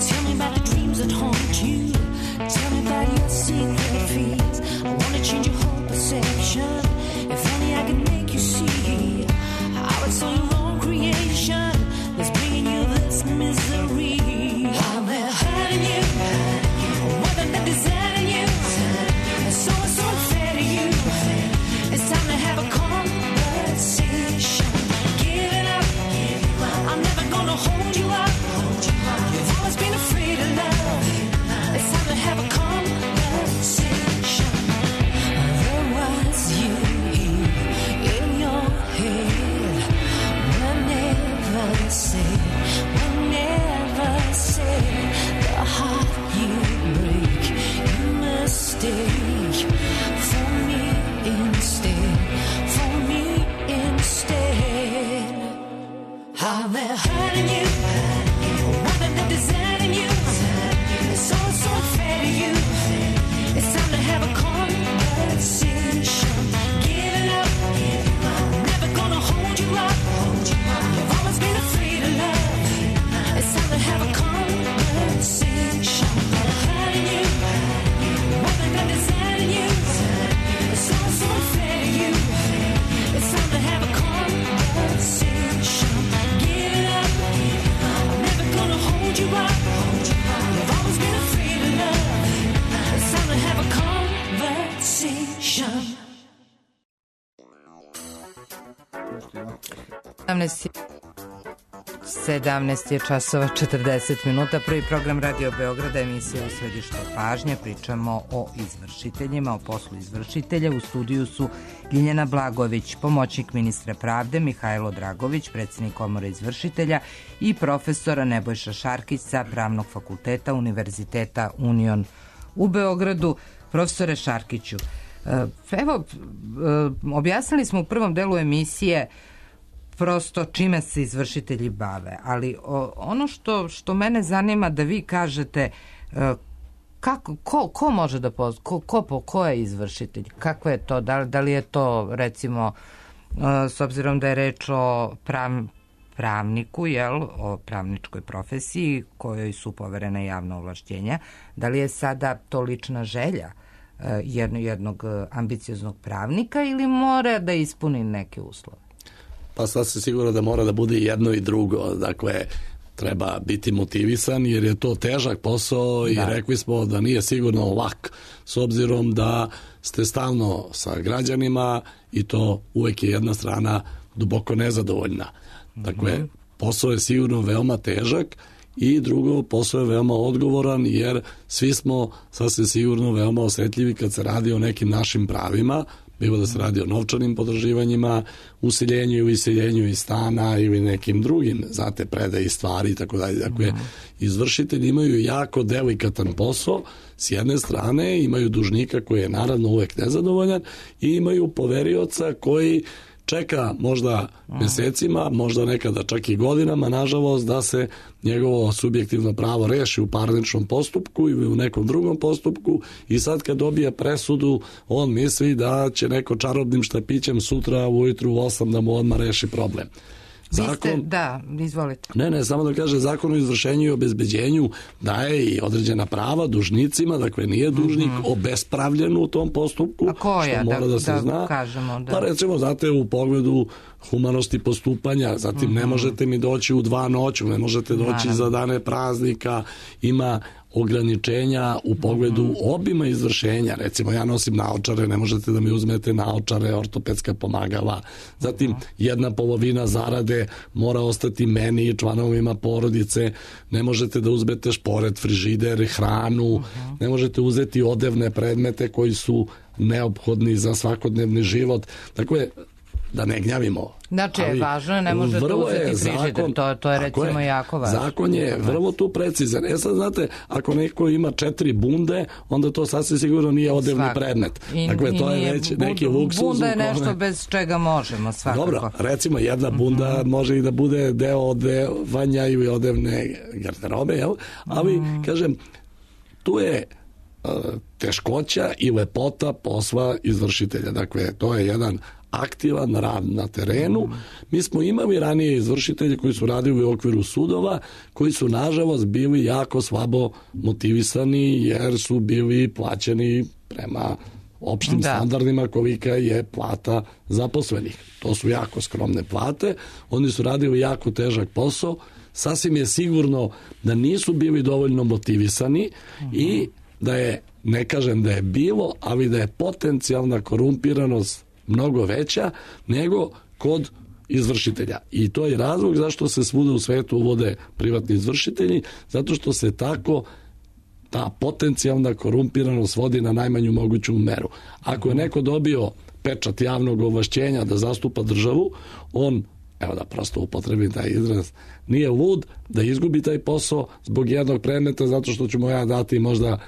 Tell me about the dreams that haunt you. Tell me about your secret fears. I wanna change your whole perception. If only I could make you see how it's all your own creation that's bringing you this misery. How they're hurting you, whether they're deserting you, it's so so unfair to you. It's time to have a conversation. I'm never gonna hold you up. You've always been afraid of love. It's time to have a conversation. There was you in your head. We'll never say, we'll never say the heart you break, you mistake for me instead, for me instead. How they're hurting you, whether they're deserting you, it's all so unfair to you. It's time to have a conversation. Give it up, I'm never gonna hold you up. You've always been afraid of love. It's time to have a conversation. They're hurting you, whether they're deserting you, it's all so unfair to you. It's time to have a conversation. Give it up, I'm never gonna hold you up. You've always been afraid of love. It's time to have a conversation. sedamnaest je časova četrdeset minuta. Prvi program Radio Beograda, emisija U središtu pažnje. Pričamo o izvršiteljima, o poslu izvršitelja. U studiju su Ljiljana Blagović, pomoćnik ministra pravde, Mihajlo Dragović, predsjednik Komore izvršitelja i profesora Nebojša Šarkić sa Pravnog fakulteta Univerziteta Union u Beogradu. Profesore Šarkiću, evo, objasnili smo u prvom delu emisije prosto čime se izvršitelji bave, ali ono što, što mene zanima da vi kažete, kako, ko, ko može da pozna, ko, ko, ko je izvršitelj, kako je to, da, da li je to recimo, s obzirom da je reč o prav, pravniku, jel, o pravničkoj profesiji kojoj su poverene javna ovlašćenja, da li je sada to lična želja jednog, jednog ambicioznog pravnika ili mora da ispuni neke uslove? Pa sad se sigurno da mora da bude jedno i drugo, dakle treba biti motivisan jer je to težak posao i da. Rekli smo da nije sigurno lak s obzirom da ste stalno sa građanima i to uvek je jedna strana duboko nezadovoljna. Dakle, mm-hmm. posao je sigurno veoma težak i drugo, posao je veoma odgovoran jer svi smo sasvim sigurno veoma osjetljivi kad se radi o nekim našim pravima, bilo da se radi o novčanim potraživanjima, useljenju i iseljenju iz stana ili nekim drugim, znate, predaji stvari i tako dalje. Dakle, izvršitelji imaju jako delikatan posao, s jedne strane imaju dužnika koji je naravno uvek nezadovoljan i imaju poverioca koji čeka možda mesecima, možda nekada čak i godinama, nažalost, da se njegovo subjektivno pravo reši u parničnom postupku ili u nekom drugom postupku i sad kad dobije presudu, on misli da će neko čarobnim štapićem sutra ujutru u osam da mu odmah reši problem. Zakon, ste, da, izvolite. Ne, ne, samo da kaže, Zakon o izvršenju i obezbeđenju daje i određena prava dužnicima, dakle nije dužnik mm-hmm. obespravljen u tom postupku, a koja, što mora da, da se da zna. Kažemo, da. Pa recimo, znate, u pogledu humanosti postupanja, zatim mm-hmm. ne možete mi doći u dva noću, ne možete doći Naravno. Za dane praznika, ima ograničenja u pogledu mm-hmm. obima izvršenja. Recimo, ja nosim naočare, ne možete da mi uzmete naočare, ortopedska pomagala. Zatim, mm-hmm. jedna polovina zarade mora ostati meni i članovima porodice. Ne možete da uzmete šporet, frižider, hranu. Mm-hmm. Ne možete uzeti odevne predmete koji su neophodni za svakodnevni život. Dakle, da ne gnjavimo. Znači, ali važno je, ne možete uzeti frižider, to, to je recimo je, jako važno. Zakon je vrlo tu precizan. E sad, znate, ako neko ima četiri bunde, onda to sasvim sigurno nije odevni svakako. Predmet. I, dakle, i to je već bund, neki luksuz. Bunda je nešto kome... bez čega možemo, svakako. Dobro, recimo, jedna bunda mm-hmm. može i da bude deo odevanja ili odevne garderobe, jel? Ali, mm. kažem, tu je uh, teškoća i lepota posla izvršitelja. Dakle, to je jedan aktivan rad na terenu. Mi smo imali ranije izvršitelje koji su radili u okviru sudova, koji su nažalost bili jako slabo motivisani jer su bili plaćeni prema opštim da. standardima kolika je plata zaposlenih. To su jako skromne plate. Oni su radili jako težak posao. Sasvim je sigurno da nisu bili dovoljno motivisani uh-huh. i da je, ne kažem da je bilo, ali da je potencijalna korumpiranost mnogo veća nego kod izvršitelja. I to je razlog zašto se svuda u svetu uvode privatni izvršitelji, zato što se tako ta potencijalna korumpiranost vodi na najmanju moguću meru. Ako je neko dobio pečat javnog ovlašćenja da zastupa državu, on, evo da prosto upotrebim taj izraz, nije lud da izgubi taj posao zbog jednog predmeta zato što ću mu ja dati možda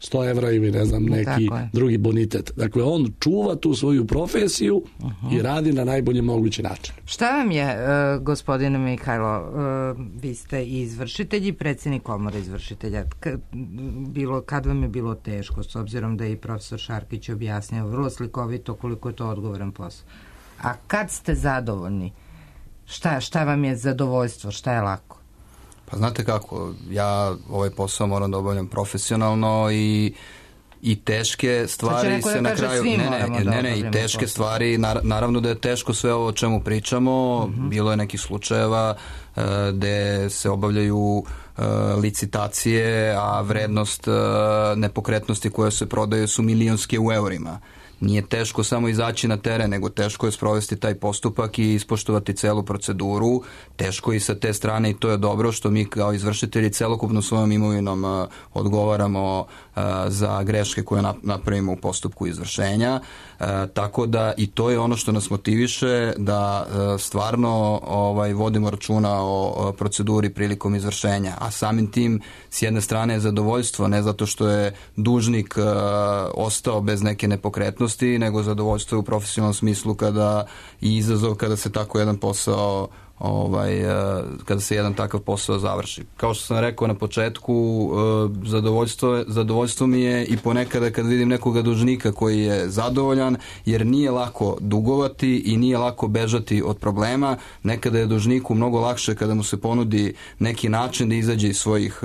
sto evra ili ne znam neki drugi bonitet. Dakle, on čuva tu svoju profesiju uh-huh. i radi na najbolji mogući način. Šta vam je, uh, gospodine Mihajlo, uh, vi ste i izvršitelj i predsjednik komore izvršitelja. K- bilo, kad vam je bilo teško, s obzirom da je i profesor Šarkić objasnio vrlo slikovito koliko je to odgovoran posao. A kad ste zadovoljni, šta, šta vam je zadovoljstvo, šta je lako? Pa znate kako, ja ovaj posao moram da obavljam profesionalno i i teške stvari se na kraju ne ne, ne, ne, i teške posao. Stvari naravno da je teško sve ovo o čemu pričamo, uh-huh. bilo je nekih slučajeva uh, gde se obavljaju uh, licitacije, a vrednost uh, nepokretnosti koje se prodaju su milionske u eurima. Nije teško samo izaći na teren, nego teško je sprovesti taj postupak i ispoštovati celu proceduru. Teško i sa te strane i to je dobro što mi kao izvršitelji celokupno svojom imovinom odgovaramo za greške koje napravimo u postupku izvršenja, tako da i to je ono što nas motiviše da stvarno ovaj, vodimo računa o proceduri prilikom izvršenja, a samim tim s jedne strane je zadovoljstvo, ne zato što je dužnik ostao bez neke nepokretnosti, nego zadovoljstvo je u profesionalnom smislu kada i izazov kada se tako jedan posao ovaj, kada se jedan takav posao završi. Kao što sam rekao na početku, zadovoljstvo, zadovoljstvo mi je i ponekada kad vidim nekoga dužnika koji je zadovoljan, jer nije lako dugovati i nije lako bežati od problema. Nekada je dužniku mnogo lakše kada mu se ponudi neki način da izađe iz svojih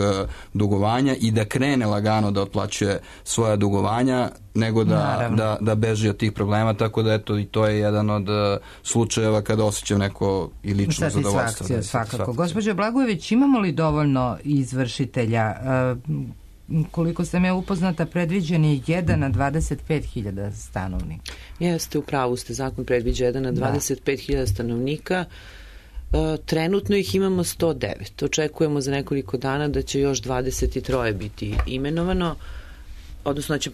dugovanja i da krene lagano da otplaćuje svoja dugovanja, nego da, da, da beži od tih problema, tako da eto i to je jedan od uh, slučajeva kada osjećam neko i lično zadovoljstvo. Da, svakako. Gospođo Blagojević, imamo li dovoljno izvršitelja? Uh, koliko sam ja upoznata, predviđen je jedan na dvadeset pet hiljada stanovnika. Jeste, u pravu ste, zakon predviđa jedan na dvadeset pet hiljada stanovnika. Uh, trenutno ih imamo sto devet. Očekujemo za nekoliko dana da će još dvadeset tri biti imenovano, odnosno da će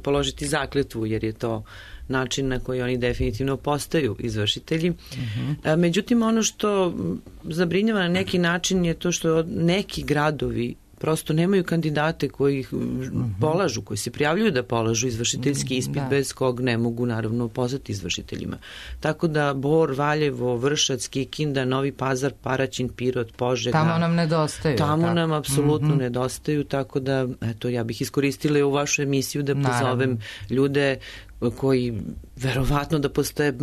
položiti zakletvu, jer je to način na koji oni definitivno postaju izvršitelji. Uh-huh. Međutim, ono što zabrinjava na neki način je to što neki gradovi prosto nemaju kandidate koji ih polažu, koji se prijavljuju da polažu izvršiteljski ispit, da. Bez kog ne mogu naravno postati izvršiteljima. Tako da Bor, Valjevo, Vršac, Kikinda, Novi Pazar, Paraćin, Pirot, Požega. Tamo nam nedostaju. Tamo tako. nam apsolutno mm-hmm. nedostaju, tako da eto, ja bih iskoristila u vašu emisiju da pozovem naravno. Ljude koji verovatno da postoje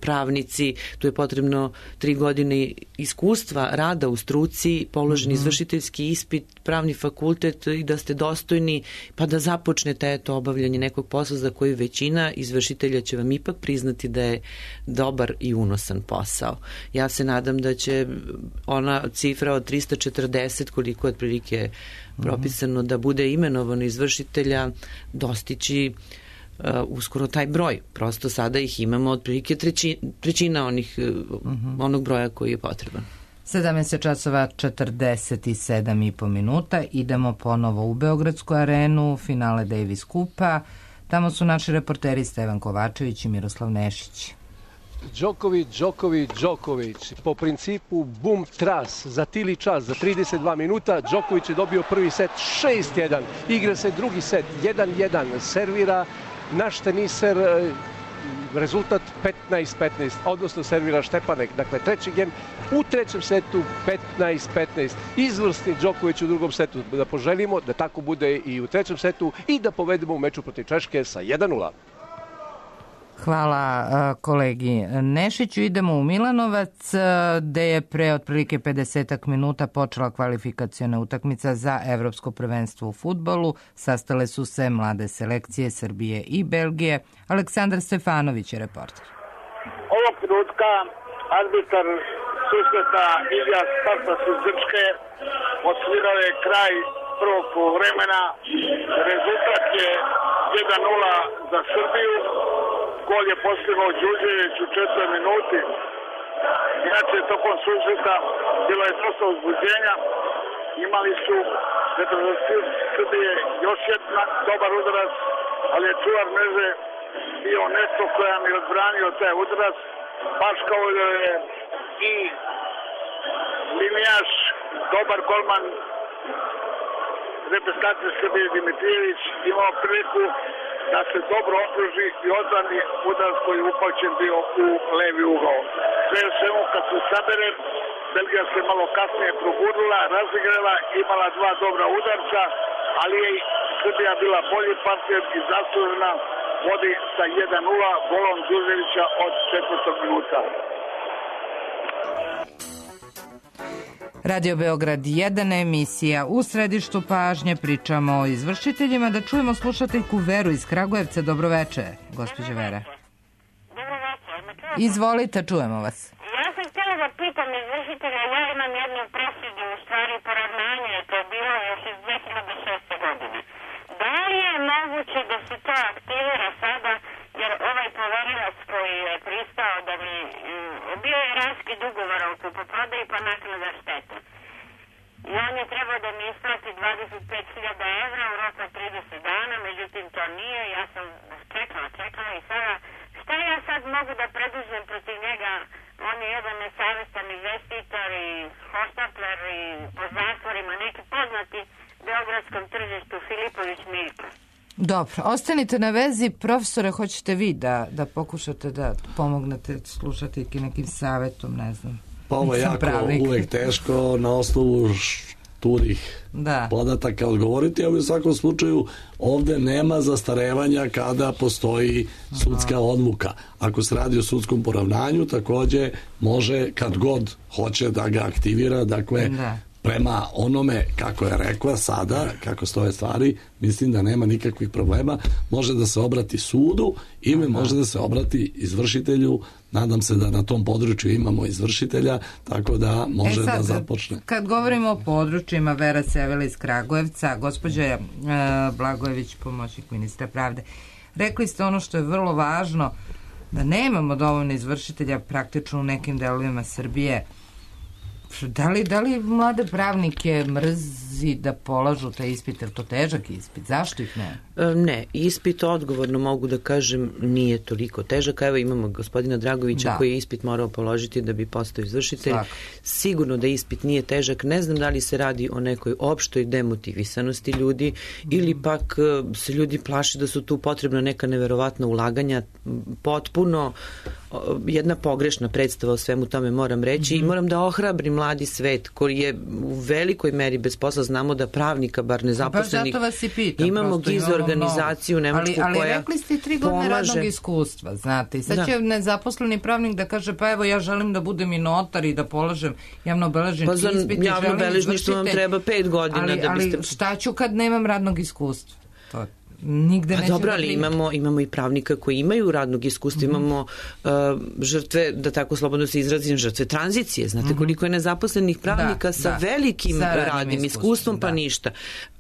pravnici, tu je potrebno tri godine iskustva rada u struci, položen mm-hmm. izvršiteljski ispit, pravni fakultet i da ste dostojni pa da započnete eto obavljanje nekog posla za koji većina izvršitelja će vam ipak priznati da je dobar i unosan posao. Ja se nadam da će ona cifra od trista četrdeset koliko je otprilike propisano da bude imenovano izvršitelja dostići Uh, uskoro taj broj. Prosto sada ih imamo otprilike treći, trećina onih, uh-huh. onog broja koji je potreban. sedamnaest časova četrdeset sedam i po minuta. Idemo ponovo u Beogradsku arenu, finale Davis Kupa. Tamo su naši reporteri Stevan Kovačević i Miroslav Nešić. Đoković, Đoković, Đoković. Po principu bum tras za tili čas, za trideset dva minuta. Đoković je dobio prvi set šest jedan. Igra se drugi set jedan jedan. Servira naš teniser, rezultat petnaest petnaest, odnosno servira Štepanek. Dakle, treći gem u trećem setu petnaest petnaest. Izvrsni Đoković u drugom setu. Da poželimo da tako bude i u trećem setu i da povedemo u meču protiv Češke sa jedan nula. Hvala uh, kolegi Nešiću. Idemo u Milanovac, uh, gde je pre otprilike pedeset minuta počela kvalifikaciona utakmica za evropsko prvenstvo u fudbalu. Sastale su se mlade selekcije Srbije i Belgije. Aleksandar Stefanović je reporter. Ovog trenutka arbitar susreta Ilija Spartas iz Grčke odsvirao je kraj prvog poluvremena. Rezultat je jedan nula za Srbiju. Gol je postigao Đurđević u četvrtoj minuti. Inače, tokom susreta bilo je dosta uzbuđenja. Imali su reprezentativi Srbije još jedan dobar udarac, ali je čuvar mreže bio Nesto koja mi je odbranio taj udarac, baš kao da je i linijaš, dobar golman reprezentacije Srbije Dimitrijević imao priliku da se dobro okruži i odbrani udarac koji je upaćen bio u levi ugao. Sve u svemu kad se sabere, Belgija se malo kasnije probudila, razigrala, imala dva dobra udarca, ali je i Srbija bila bolji partner i zaslužena, vodi sa jedan nula golom Đurđevića od četvrtog minuta. Radio Beograd jedan, emisija U središtu pažnje, pričamo o izvršiteljima. Da čujemo slušateljku Veru iz Kragujevca. Dobroveče, gospođa Vera. Dobroveče. Izvolite, čujemo vas. Ja sam htjela da pitam izvršitelja, ja imam jednu presudu, u stvari poravnanje, to je bilo još iz dve hiljade šeste. godine. Da li je moguće da se to aktivira sada, jer ovaj poverilac koji je pristao da mi bio je raskid ugovora o kupoprodaji pa naknada štete. i on je trebao da mi isplati dvadeset pet hiljada evra u roku od trideset dana, međutim to nije, ja sam čekala, čekala i sada, šta ja sad mogu da preduzmem protiv njega? On je jedan nesavestan investitor i hoštapler i po zatvorima, neki poznati beogradskom tržištu, Filipović Miljko. Dobro, ostanite na vezi. Profesore, hoćete vi da, da pokušate da pomognete slušateljki nekim savjetom, ne znam. Pa ovo je jako pravnik. Uvek teško na osnovu šturih da. podataka odgovoriti, ali u svakom slučaju ovde nema zastarevanja kada postoji sudska odluka. Ako se radi o sudskom poravnanju, takođe može kad god hoće da ga aktivira, dakle da. prema onome kako je rekla sada, kako stoje stvari, mislim da nema nikakvih problema. Može da se obrati sudu ili može da se obrati izvršitelju. Nadam se da na tom području imamo izvršitelja, tako da može e sad, da započne. Kad govorimo o područjima, Vera Sevela iz Kragujevca, gospođa e, Blagojević, pomoćnik ministra pravde, rekli ste ono što je vrlo važno, da nemamo dovoljno izvršitelja praktično u nekim delovima Srbije. Da li, da li mlade pravnike mrzi da polažu taj ispit, je to težak ispit? Zašto ih ne? Ne, ispit odgovorno mogu da kažem nije toliko težak. Evo imamo gospodina Dragovića da. koji je ispit morao položiti da bi postao izvršitelj. Svak. Sigurno da ispit nije težak. Ne znam da li se radi o nekoj opštoj demotivisanosti ljudi mm. ili pak se ljudi plaše da su tu potrebna neka neverovatna ulaganja. Potpuno jedna pogrešna predstava o svemu tome moram reći mm-hmm. i moram da ohrabrim mladi svet koji je u velikoj meri bez posla. Znamo da pravnika, bar nezaposlenih, pa vas i pitam, imamo giz organizaciju Nemačku ali, ali koja ali rekli ste tri godine pomaže. radnog iskustva, znate. I sad da. će nezaposleni pravnik da kaže pa evo ja želim da budem i notar i da polažem javnobeležnički pa za ispit. Javnobeležništvo vam treba pet godina ali, da biste... Ali šta ću kad nemam radnog iskustva? To je nigde pa neće dobro, da ali imamo, imamo i pravnika koji imaju radnog iskustva, mm-hmm. imamo uh, žrtve, da tako slobodno se izrazim, žrtve tranzicije. Znate mm-hmm. koliko je nezaposlenih pravnika da, sa da. velikim sa radnim iskustvom, pa da. ništa.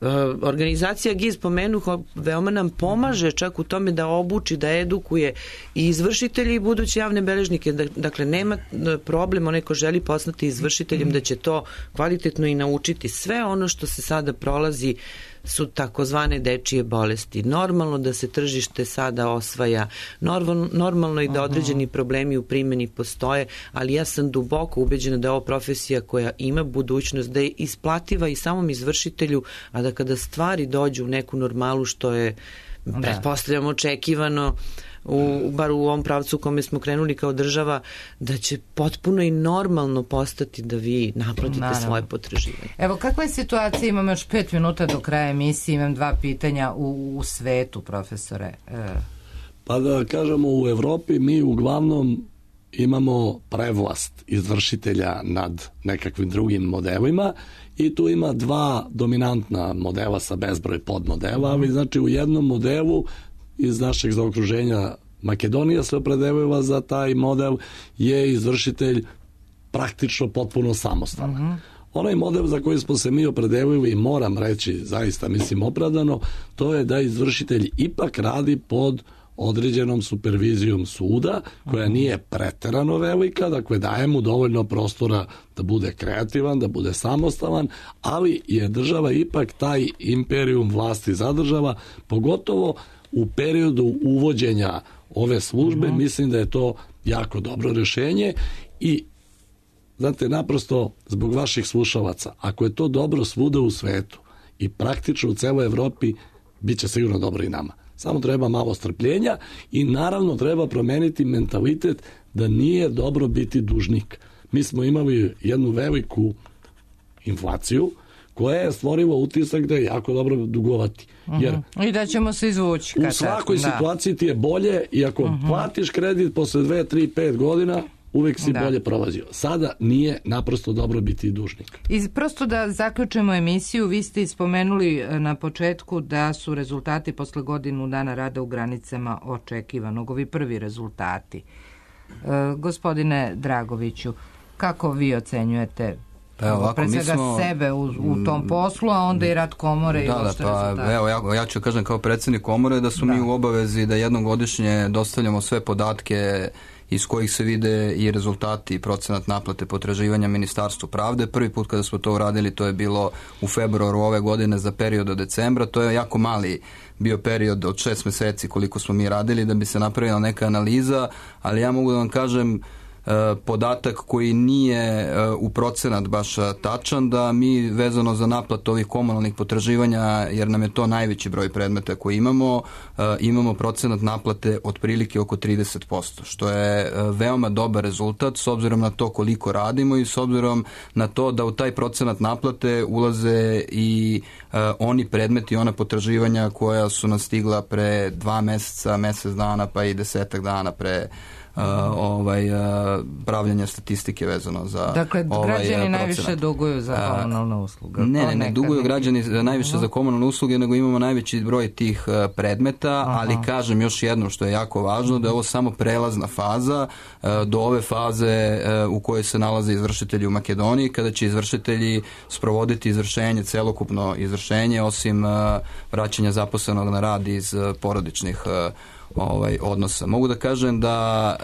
Uh, organizacija G I Z pomenuh, veoma nam pomaže čak u tome da obuči, da edukuje i izvršitelji i buduće javne beležnike. Dakle, nema problem, onaj ko želi postati izvršiteljem, mm-hmm. da će to kvalitetno i naučiti. Sve ono što se sada prolazi su takozvane dečije bolesti. Normalno da se tržište sada osvaja, normalno, normalno i da određeni problemi u primjeni postoje, ali ja sam duboko ubeđena da je ovo profesija koja ima budućnost, da je isplativa i samom izvršitelju, a da kada stvari dođu u neku normalu, što je da. pretpostavljamo očekivano, U, bar u ovom pravcu u kome smo krenuli kao država, da će potpuno i normalno postati da vi naplatite Naravno. svoje potraživanje. Evo, kakva je situacija? Imam još pet minuta do kraja emisije, imam dva pitanja u, u svetu, profesore. E. Pa da kažemo, u Evropi mi uglavnom imamo prevlast izvršitelja nad nekakvim drugim modelima i tu ima dva dominantna modela sa bezbroj podmodela, ali znači u jednom modelu iz našeg zaokruženja Makedonija se opredelila za taj model, je izvršitelj praktično potpuno samostalan. Uh-huh. Onaj model za koji smo se mi opredelili, moram reći, zaista mislim opravdano, to je da izvršitelj ipak radi pod određenom supervizijom suda, koja nije preterano velika, dakle daje mu dovoljno prostora da bude kreativan, da bude samostalan, ali je država ipak taj imperijum vlasti zadržava, pogotovo u periodu uvođenja ove službe. Mm-hmm. Mislim da je to jako dobro rješenje i znate, naprosto zbog vaših slušalaca, ako je to dobro svuda u svetu i praktično u celoj Evropi, bit će sigurno dobro i nama. Samo treba malo strpljenja i naravno treba promeniti mentalitet da nije dobro biti dužnik. Mi smo imali jednu veliku inflaciju koja je stvorila utisak da je jako dobro dugovati. Jer uh-huh. I da ćemo se izvući. U svakoj tako, situaciji da. ti je bolje i ako uh-huh. platiš kredit posle dve, tri, pet godina, uvek si da. bolje prolazio. Sada nije naprosto dobro biti dužnik. I prosto da zaključimo emisiju, vi ste ispomenuli na početku da su rezultati posle godinu dana rada u granicama očekivanog. Ovi prvi rezultati. E, gospodine Dragoviću, kako vi ocenjujete Pa evo, ovako, pre svega smo, sebe u, u tom poslu, a onda i rad komore i da, uopšte da, pa, rezultate? Evo, ja, ja ću kažem kao predsjednik komore da su da. mi u obavezi da jednom godišnje dostavljamo sve podatke iz kojih se vide i rezultati i procenat naplate potraživanja Ministarstvu pravde. Prvi put kada smo to uradili, to je bilo u februaru ove godine za period od decembra. To je jako mali bio period od šest meseci koliko smo mi radili da bi se napravila neka analiza, ali ja mogu da vam kažem podatak koji nije u procenat baš tačan, da mi vezano za naplatu ovih komunalnih potraživanja, jer nam je to najveći broj predmeta koji imamo, imamo procenat naplate otprilike oko trideset posto, što je veoma dobar rezultat s obzirom na to koliko radimo i s obzirom na to da u taj procenat naplate ulaze i oni predmeti i ona potraživanja koja su nas stigla pre dva meseca, mesec dana pa i desetak dana pre Uh, ovaj, uh, pravljanja statistike vezano za dakle, ovaj, građani procenat. Najviše duguju za komunalne usluge. Ne, ne, ne duguju građani najviše za komunalne usluge, nego imamo najveći broj tih uh, predmeta, aha, ali kažem još jedno što je jako važno, da je ovo samo prelazna faza uh, do ove faze uh, u kojoj se nalaze izvršitelji u Makedoniji, kada će izvršitelji sprovoditi izvršenje, celokupno izvršenje, osim uh, vraćanja zaposlenog na rad iz uh, porodičnih uh, ovaj odnosa. Mogu da kažem da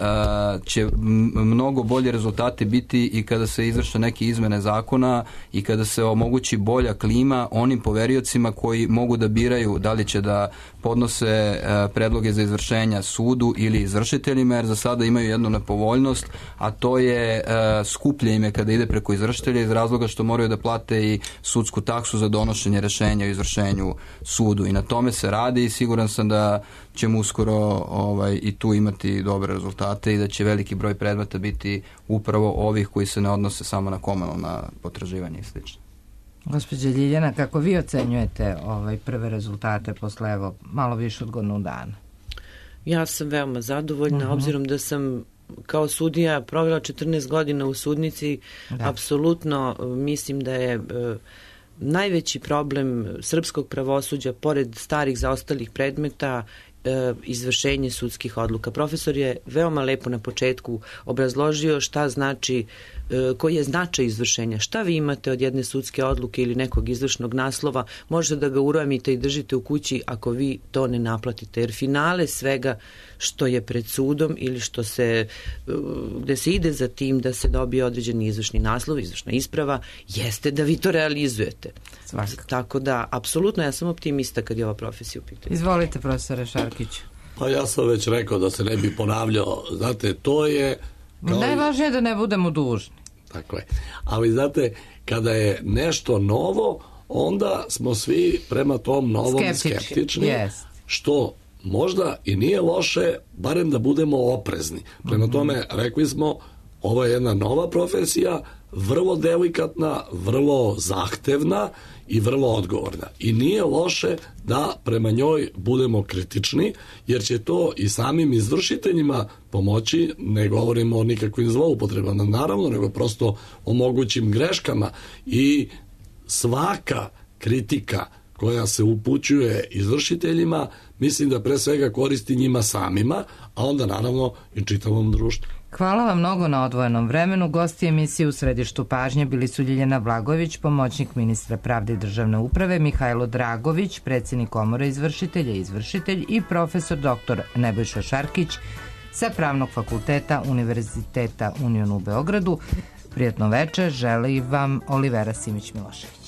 uh, će mnogo bolje rezultati biti i kada se izvrše neke izmene zakona i kada se omogući bolja klima onim poveriocima koji mogu da biraju da li će da podnose uh, predloge za izvršenja sudu ili izvršiteljima, jer za sada imaju jednu nepovoljnost, a to je uh, skuplje ime kada ide preko izvršitelja iz razloga što moraju da plate i sudsku taksu za donošenje rešenja o izvršenju sudu, i na tome se radi i siguran sam da ćemo uskoro ovaj, i tu imati dobre rezultate i da će veliki broj predmeta biti upravo ovih koji se ne odnose samo na komunalna potraživanja i slično. Gospođa Ljiljana, kako vi ocenjujete ovaj prve rezultate posle evo malo više od godinu dana? Ja sam veoma zadovoljna, uh-huh. obzirom da sam kao sudija provela četrnaest godina u sudnici, da. Apsolutno mislim da je e, najveći problem srpskog pravosuđa, pored starih zaostalih predmeta, izvršenje sudskih odluka. Profesor je veoma lepo na početku obrazložio šta znači, koji je značaj izvršenja. Šta vi imate od jedne sudske odluke ili nekog izvršnog naslova, možete da ga uramite i držite u kući ako vi to ne naplatite. Jer finale svega što je pred sudom ili što se, gde se ide za tim da se dobije određeni izvršni naslov, izvršna isprava, jeste da vi to realizujete. Svakako. Tako da, apsolutno, ja sam optimista kad je ova profesija u pitanju. Izvolite, profesore Šarkić. Pa ja sam već rekao da se ne bi ponavljao. Znate, to je... Najvažnije je da ne budemo dužni. Tako je. Ali znate, kada je nešto novo, onda smo svi prema tom novom skeptični, skeptični yes. što možda i nije loše, barem da budemo oprezni. Prema tome, rekli smo, ovo je jedna nova profesija, vrlo delikatna, vrlo zahtevna i vrlo odgovorna. I nije loše da prema njoj budemo kritični, jer će to i samim izvršiteljima pomoći, ne govorimo o nikakvim zloupotrebama, naravno, nego prosto o mogućim greškama. I svaka kritika koja se upućuje izvršiteljima, mislim da pre svega koristi njima samima, a onda naravno i čitavom društvu. Hvala vam mnogo na odvojenom vremenu. Gosti emisije u središtu pažnje bili su Ljiljana Blagojević, pomoćnik ministra pravde i državne uprave, Mihajlo Dragović, predsjednik Komore izvršitelja i izvršitelj, i profesor doktor Nebojša Šarkić sa Pravnog fakulteta Univerziteta Union u Beogradu. Prijetno večer, želi vam Olivera Simić-Milošević.